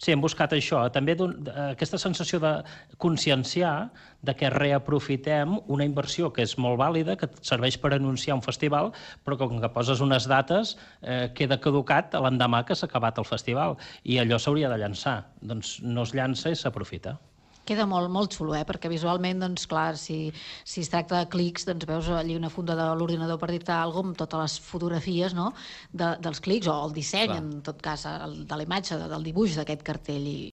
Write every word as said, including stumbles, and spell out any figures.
Sí, hem buscat això, també aquesta sensació de conscienciar de que reaprofitem una inversió que és molt vàlida, que serveix per anunciar un festival, però com que poses unes dates eh, queda caducat l'endemà que s'ha acabat el festival i allò s'hauria de llançar. Doncs no es llança i s'aprofita. Queda molt, molt xulo, eh? Perquè visualment, doncs, clar, si, si es tracta de clics, doncs veus allí una funda de l'ordinador per dir-te alguna cosa, amb totes les fotografies, no?, de, dels clics, o el disseny, clar, en tot cas, el, de la imatge, del dibuix d'aquest cartell, i,